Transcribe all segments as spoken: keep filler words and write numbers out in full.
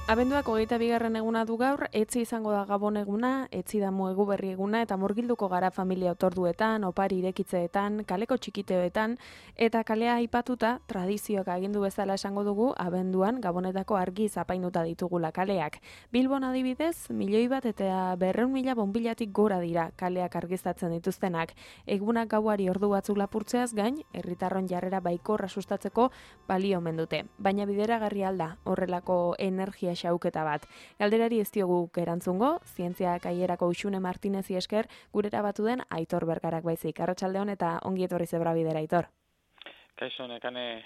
Abenduak hogeita bigarren eguna du gaur, etzi izango da Gabon eguna, etzi da egu berri eguna, eta murgilduko gara familia otorduetan, opari irekitzeetan, kaleko txikiteetan, eta kalea aipatuta, tradizioak agindu bezala esango dugu, abenduan Gabonetako argi zapainuta ditugula kaleak. Bilbon adibidez, milioi bat eta berreun mila bonbilatik gora dira kaleak argiztatzen dituztenak. Egunak gauari ordu batzuk lapurtzeaz gain, herritarron jarrera baikorra sustatzeko balio omen dute. Baina bideragarri alda horrelako energia xauketa bat. Galderari ez diogu erantzungo, zientzia kaierako Uxune Martinezi esker gurera batu den Aitor Bergarak baizik. Arratsaldeon eta ongi etorri zebra bidera, Aitor. Kaixo, nekane...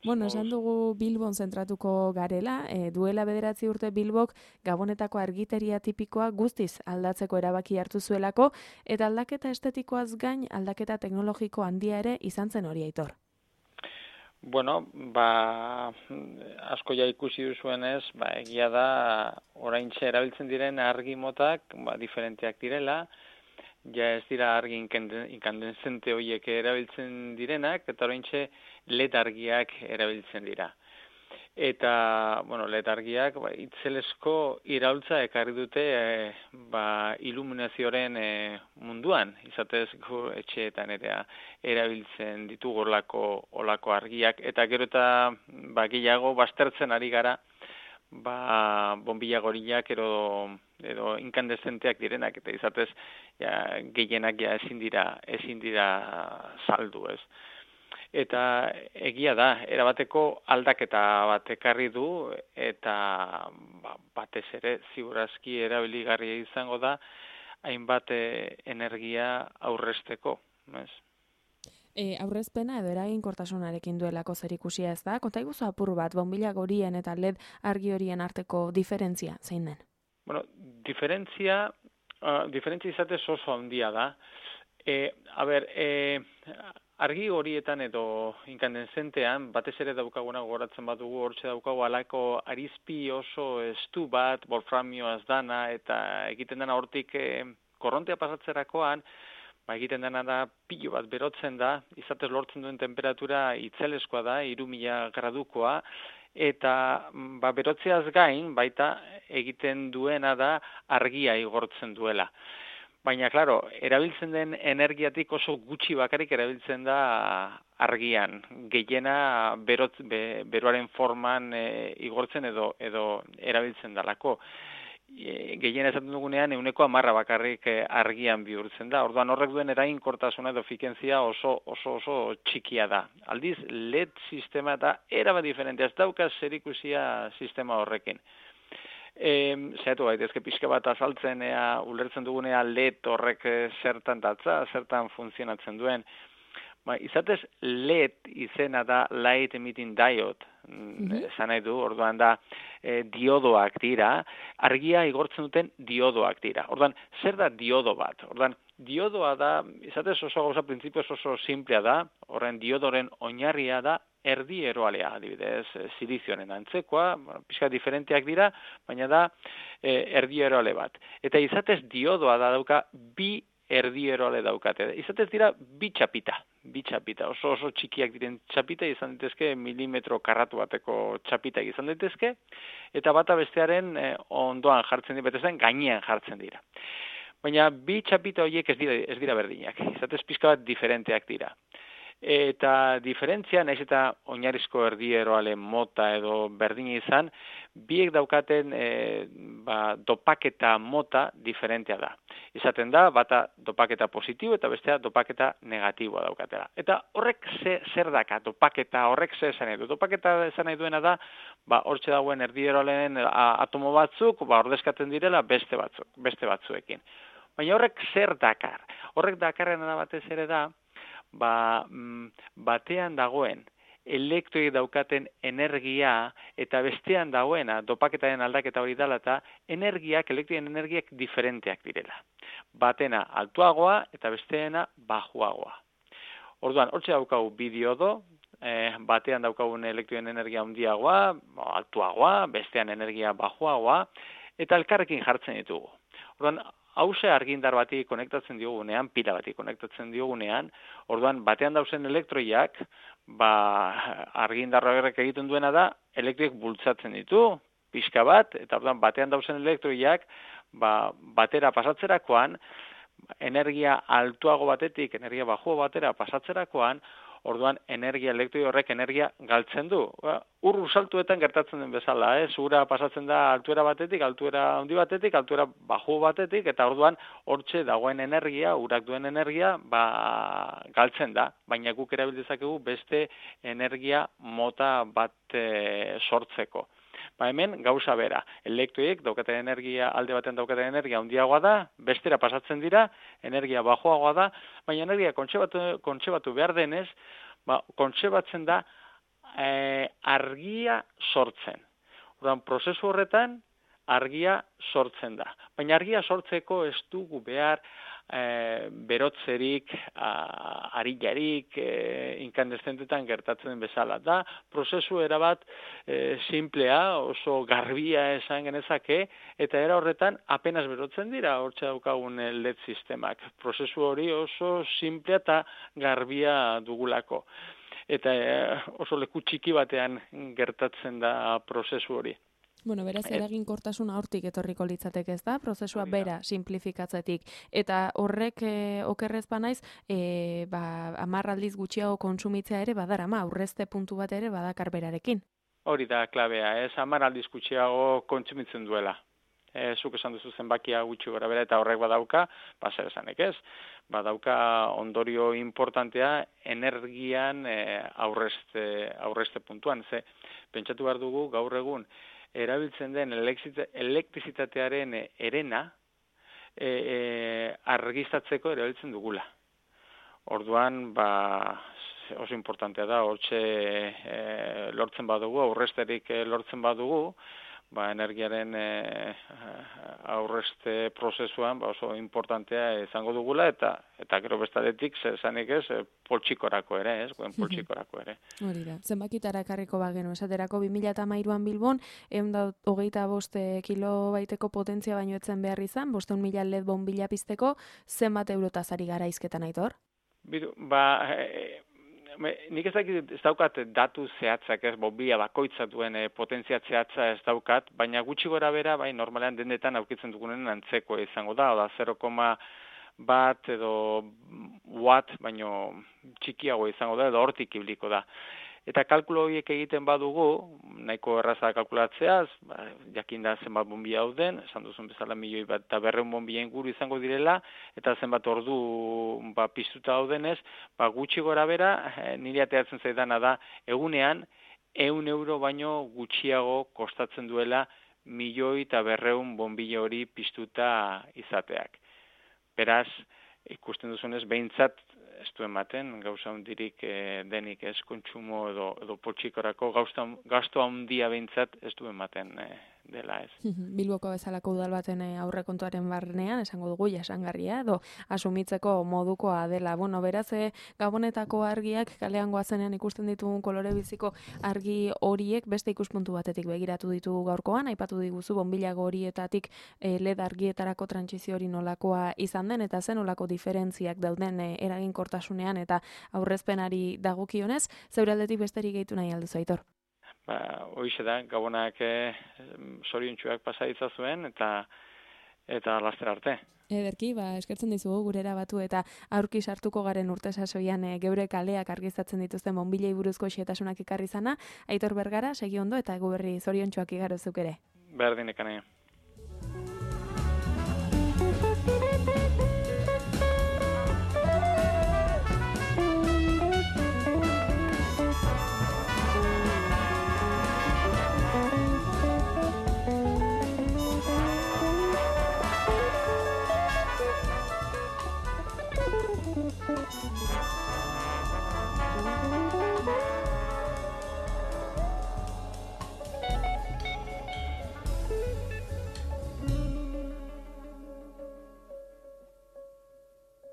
Bueno, esan dugu Bilbon zentratuko garela, e, duela bederatzi urte Bilbok Gabonetako argiteria tipikoa guztiz aldatzeko erabaki hartu zuelako, eta aldaketa estetikoaz gain aldaketa teknologiko handia ere izan zen hori, Aitor. Bueno, ba, asko ja ikusi duzuenez, ba, egia da, oraintxe erabiltzen diren argi motak, ba, diferenteak direla, ja ez dira argi inkandescente horiek erabiltzen direnak, eta oraintxe L E D argiak erabiltzen dira. Eta, bueno, L E D argiak, ba, itzelesko iraultza ekarri dute, e, ba, iluminazioaren e, munduan, izatez gu etxeetan ere erabiltzen ditugu olako, olako argiak, eta gero eta ba, gehiago baztertzen ari gara, ba, bombilla gorillak edo, edo inkandezenteak direnak, eta izatez ja, gehienak ja ezin dira, ezin dira saldu, ez. Eta egia da, erabateko aldaketa bat ekarri du, eta ba, batez ere ziurazki erabiligarria izango da, hainbat energia aurrezteko, ez? E, aurrezpena edo eraginkortasunarekin duelako zerikusia ez da? Konta iguzu apur bat, bombilla gorien eta L E D argi horien arteko diferentzia, zein den? Bueno, diferentzia, uh, diferentzia izatez oso handia da. E, a ber, e, argi horietan edo inkandenzentean, batez ere daukaguna gogoratzen badugu, hortxe daukagu alako arizpi oso estu bat, wolframioaz dana, eta egiten dena hortik e, korrontea pasatzerakoan, ba, egiten dena da pilo bat berotzen da, izatez lortzen duen temperatura itzeleskoa da, hiru mila gradukoa, eta ba, berotzeaz gain, baita egiten duena da argia igortzen duela. Baina, klaro, erabiltzen den energiatik oso gutxi bakarrik erabiltzen da argian. Gehiena berot, be, beroaren forman e, igortzen edo, edo erabiltzen dalako. E, gehiena esaten dugunean, euneko amarra bakarrik e, argian bihurtzen da. Orduan horrek duen eraginkortasuna edo efikentzia oso, oso, oso txikia da. Aldiz, L E D sistema eta erabat diferentea, ez dauka zerikusia sistema horrekin. E, zehatu gaitezke pixka bat azaltzen ea, ulertzen dugunea L E D horrek zertan datza, zertan funtzionatzen duen. Ba, izatez L E D izena da Light Emitting Diode, mm-hmm. esan nahi du, orduan da e, diodoak dira, argia igortzen duten diodoak dira. Orduan, zer da diodo bat? Orduan, diodoa da, izatez oso gauza printzipioz oso simplea da, horren diodoren oinarria da, erdi eroalea, adibidez, silizioaren antzekoa, bueno, pixka diferenteak dira, baina da e, erdi eroale bat. Eta izatez diodoa da dauka bi erdi eroale daukate. Izatez dira bi txapita, bi txapita, oso oso txikiak diren txapita izan daitezke, milimetro karratu bateko txapita izan daitezke, eta bata bestearen e, ondoan jartzen dira, betezen gainean jartzen dira. Baina bi txapita horiek ez dira, ez dira berdinak, izatez pixka bat diferenteak dira. Eta diferentzia, nahiz eta oinarrizko erdi eroale mota edo berdina izan, biek daukaten e, ba, dopaketa mota diferentea da. Izaten da, bata dopaketa positibo eta bestea dopaketa negatiboa daukatela. Eta horrek ze, zer daka, dopaketa horrek ze esan nahi du. Dopaketa esan nahi duena da, ba, hortxe dagoen erdi eroaleen atomo batzuk, ba, ordezkatzen direla beste batzuk, beste batzuekin. Baina horrek zer dakar? Horrek dakarren da batez ere da, ba, batean dagoen elektroi daukaten energia eta bestean dagoena dopaketaren aldaketa hori dela eta energiak, elektroien energiak diferenteak direla. Batena altuagoa eta besteena bajuagoa. Orduan, hortxe daukagu bi diodo, eh, batean daukagun elektroien energia handiagoa, altuagoa, bestean energia bajuagoa, eta elkarrekin jartzen ditugu. Orduan, hause argindar bati konektatzen diogunean, pila bati konektatzen diogunean, orduan batean dauzen elektroiak, ba, argindar horrek egiten duena da, elektroiek bultzatzen ditu, pixka bat, eta orduan batean dauzen elektroiak, ba, batera pasatzerakoan, energia altuago batetik, energia baxuago batera pasatzerakoan, orduan energia elektroi horrek energia galtzen du. Ba, ur saltuetan gertatzen den bezala, eh? Ura pasatzen da altuera batetik, altuera handi batetik, altuera baxu batetik, eta orduan hortxe dagoen energia, urak duen energia, ba, galtzen da. Baina guk erabil dezakegu beste energia mota bat e, sortzeko. Ba hemen gauza bera, elektroiek daukaten energia, alde batean daukaten energia handiagoa da, bestera pasatzen dira, energia baxuagoa da, baina energia kontsebatu, kontsebatu behar denez, ba, kontsebatzen da e, argia sortzen. Orduan, prozesu horretan argia sortzen da. Baina argia sortzeko ez dugu behar e, berotzerik, a, arilarik, e, inkandeszentetan gertatzen den bezala. Da, prozesu erabat e, simplea, oso garbia esan genezake, eta era horretan apenas berotzen dira, hortxe daukagun L E D sistemak. Prozesu hori oso simplea eta garbia dugulako. Eta e, oso leku txiki batean gertatzen da prozesu hori. Bueno, beraz, eraginkortasuna hortik etorriko litzateke, ez da? Prozesua bera simplifikatzetik. Eta horrek e, okerrez banaiz, e, ba, hamar aldiz gutxiago kontsumitzea ere badarama, aurrezte puntu bat ere badakar berarekin. Hori da, klabea, ez hamar aldiz gutxiago kontsumitzen duela. E, zuk esan duzu zenbakia gutxi gora bera, eta horrek badauka, ba, zer esanek ez, badauka ondorio importantea energian e, aurrezte, aurrezte puntuan. Ze, pentsatu behar dugu gaur egun, erabiltzen den elektrizitatearen erena e, e, argiztatzeko erabiltzen dugula. Orduan, ba, oso importantea da, hortxe e, lortzen badugu, aurrezterik lortzen badugu, ba, energiaren e, aurrezte prozesuan ba, oso importantea izango dugula, eta eta gero bestadetik, zer esanik ez, poltsikorako ere, ez, guen poltsikorako ere. Hori da, zenbakitara ekarriko bagenu, esaterako bi mila hamairuan Bilbon, ehun eta hogeita bost kilobaiteko potentzia baino etzen behar izan, bosteun mila L E D bonbila pizteko, zenbat eurotaz ari gara izketan aitor? Bidu, ba, e, nik ez dakit ez daukat datu zehatzak ez, bonbila bakoitza duen e, potentzia zehatza ez daukat, baina gutxi gora bera, bai, normalean dendetan aukitzen dugunen antzeko izango da, oda zero koma bat edo watt, baino txikiago izango da, edo hortik ibliko da. Eta kalkulo horiek egiten badugu, nahiko erraza kalkulatzeaz, ba, jakin da zenbat bonbila dauden, esan duzun bezala milioi bat eta berreun bonbila inguru izango direla, eta zenbat ordu ba, piztuta daudenez, ba, gutxi gora bera, eh, nire ateatzen zaidana da, egunean, ehun euro baino gutxiago kostatzen duela milioi eta berreun bonbila hori piztuta izateak. Beraz, ikusten duzunez, behintzat, ez du ematen, gauza hundirik e, denik ez kontsumo edo, edo poltsikorako gasto handia behintzat ez du ematen e, dela ez. Bilboko bezalako udal baten aurrekontuaren barnean, esango dugu jasangarria, edo asumitzeko modukoa dela. Bueno, beraz, e, Gabonetako argiak kalean goazenean ikusten ditugun kolore biziko argi horiek beste ikuspuntu batetik begiratu ditugu gaurkoan, aipatu diguzu bonbilago horietatik e, L E D argietarako trantsizio hori nolakoa izan den, eta zen nolako diferentziak dauden e, eraginkortasunean eta aurrezpenari dagokionez, zeure aldetik besterik gehitu nahi alduzu, Aitor? Ba, hoize da, Gabonak e, zoriontsuak pasa ditzazuen eta eta laster arte. Ederki, ba, eskertzen dizugu gurera batu eta aurki sartuko garen urte sasoian e, geure kaleak argiztatzen dituzten bonbilei buruzko xehetasunak ekarri zana. Aitor Bergara, segi ondo eta gu berri zoriontsuak igarozuk ere. Berdin ekanea.